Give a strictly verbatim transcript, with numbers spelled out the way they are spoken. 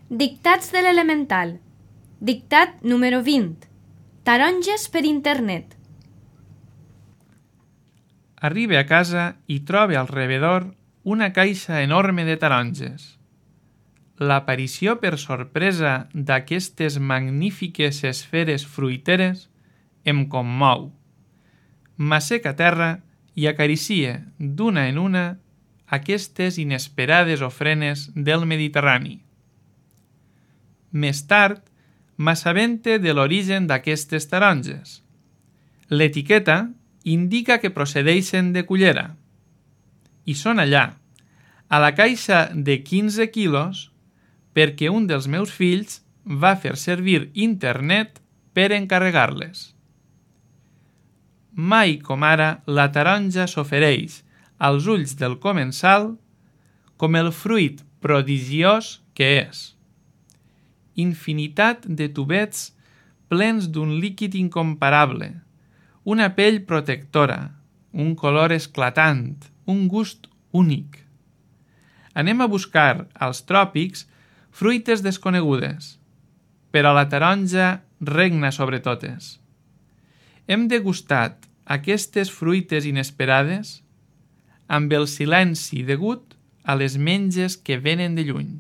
Dictats de l'elemental. Dictat número vint. Taronges per internet. Arriba a casa i troba al rebedor una caixa enorme de taronges. L'aparició per sorpresa d'aquestes magnífiques esferes fruiteres em commou. M'assec a terra i acaricie d'una en una aquestes inesperades ofrenes del Mediterrani. Més tard, m'assabente de l'origen d'aquestes taronges. L'etiqueta indica que procedeixen de Cullera. I són allà, a la caixa de quinze quilos, perquè un dels meus fills va fer servir internet per encarregar-les. Mai com ara la taronja s'ofereix als ulls del comensal com el fruit prodigiós que és. Infinitat de tubets plens d'un líquid incomparable, una pell protectora, un color esclatant, un gust únic. Anem a buscar als tròpics fruites desconegudes, però la taronja regna sobre totes. Hem degustat aquestes fruites inesperades amb el silenci degut a les menges que venen de lluny.